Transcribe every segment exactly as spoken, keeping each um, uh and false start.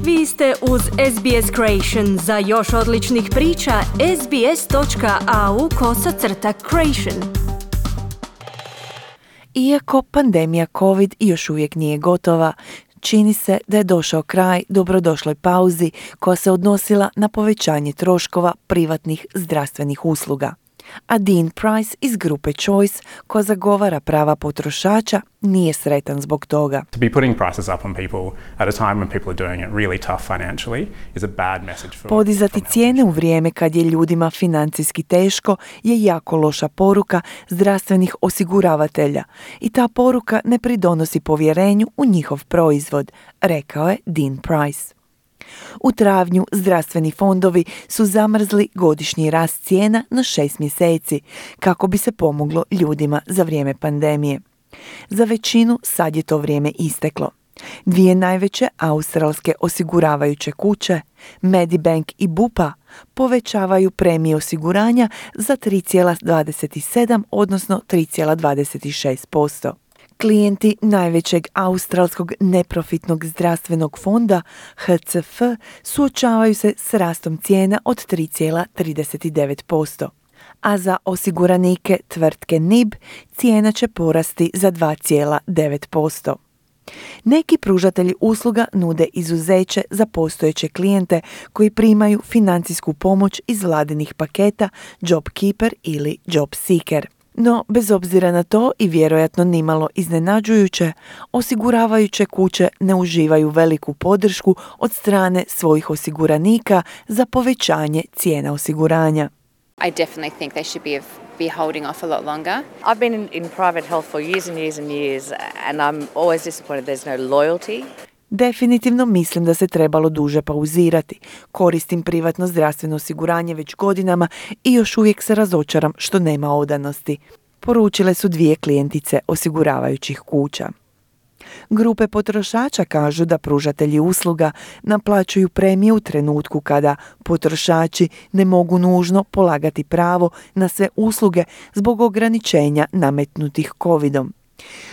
Vi ste uz S B S Creation. Za još odličnih priča, sbs.au kosacrta creation. Iako pandemija COVID još uvijek nije gotova, čini se da je došao kraj dobrodošloj pauzi koja se odnosila na povećanje troškova privatnih zdravstvenih usluga. A Dean Price iz grupe Choice, koja zagovara prava potrošača, nije sretan zbog toga. To be putting prices up on people at a time when people are doing it really tough financially is a bad message for Podizati cijene u vrijeme kad je ljudima financijski teško je jako loša poruka zdravstvenih osiguravatelja i ta poruka ne pridonosi povjerenju u njihov proizvod, rekao je Dean Price. U travnju zdravstveni fondovi su zamrzli godišnji rast cijena na šest mjeseci kako bi se pomoglo ljudima za vrijeme pandemije. Za većinu sad je to vrijeme isteklo. Dvije najveće australske osiguravajuće kuće, Medibank i Bupa, povećavaju premije osiguranja za tri zarez dvadeset sedam odnosno tri zarez dvadeset šest posto. Klijenti najvećeg australskog neprofitnog zdravstvenog fonda H C F suočavaju se s rastom cijena od tri zarez trideset devet posto, a za osiguranike tvrtke N I B cijena će porasti za dva zarez devet posto. Neki pružatelji usluga nude izuzeće za postojeće klijente koji primaju financijsku pomoć iz vladinih paketa JobKeeper ili JobSeeker. No, bez obzira na to i vjerojatno nimalo iznenađujuće, osiguravajuće kuće ne uživaju veliku podršku od strane svojih osiguranika za povećanje cijena osiguranja. I definitely think they should be be holding off a lot longer. I've been in, in private health for years and years and years and I'm always disappointed there's no loyalty. Definitivno mislim da se trebalo duže pauzirati. Koristim privatno zdravstveno osiguranje već godinama i još uvijek se razočaram što nema odanosti, poručile su dvije klijentice osiguravajućih kuća. Grupe potrošača kažu da pružatelji usluga naplaćuju premije u trenutku kada potrošači ne mogu nužno polagati pravo na sve usluge zbog ograničenja nametnutih covidom.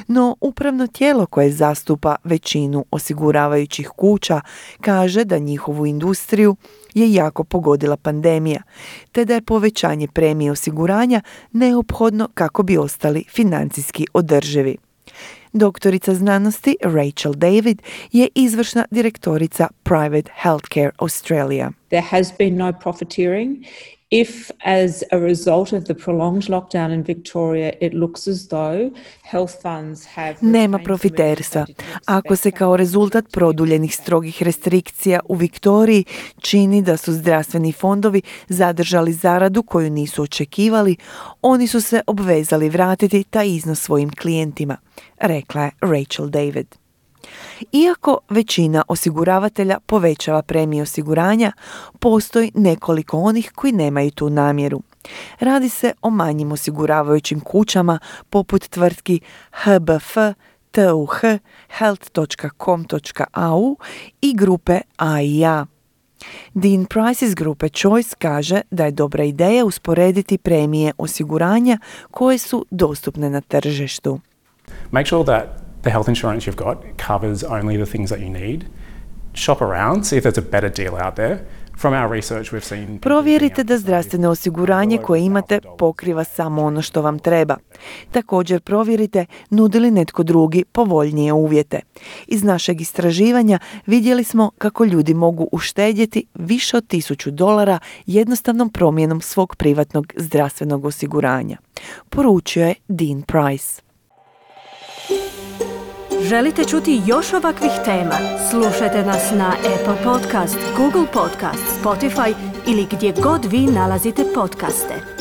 No, upravno tijelo koje zastupa većinu osiguravajućih kuća kaže da njihovu industriju je jako pogodila pandemija, te da je povećanje premije osiguranja neophodno kako bi ostali financijski održivi. Doktorica znanosti Rachel David je izvršna direktorica Private Healthcare Australia. There has been no profiteering. If, as a result of the prolonged lockdown in Victoria, it looks as though health funds have... Nema profiterstva. Ako se kao rezultat produljenih strogih restrikcija u Viktoriji čini da su zdravstveni fondovi zadržali zaradu koju nisu očekivali, oni su se obvezali vratiti taj iznos svojim klijentima, rekla je Rachel David. Iako većina osiguravatelja povećava premije osiguranja, postoji nekoliko onih koji nemaju tu namjeru. Radi se o manjim osiguravajućim kućama poput tvrtki H B F, T U H, health dot com dot a u i grupe A I A. Dean Price iz grupe Choice kaže da je dobra ideja usporediti premije osiguranja koje su dostupne na tržištu. Make sure that the health insurance you've got covers only the things that you need. Shop around, see if there's a better deal out there. From our research we've seen... Provjerite da zdravstveno osiguranje koje imate pokriva samo ono što vam treba. Također provjerite nudi li netko drugi povoljnije uvjete. Iz našeg istraživanja vidjeli smo kako ljudi mogu uštedjeti više od tisuću dolara jednostavnom promjenom svog privatnog zdravstvenog osiguranja, poručio je Dean Price. Želite čuti još ovakvih tema? Slušajte nas na Apple Podcast, Google Podcast, Spotify ili gdje god vi nalazite podcaste.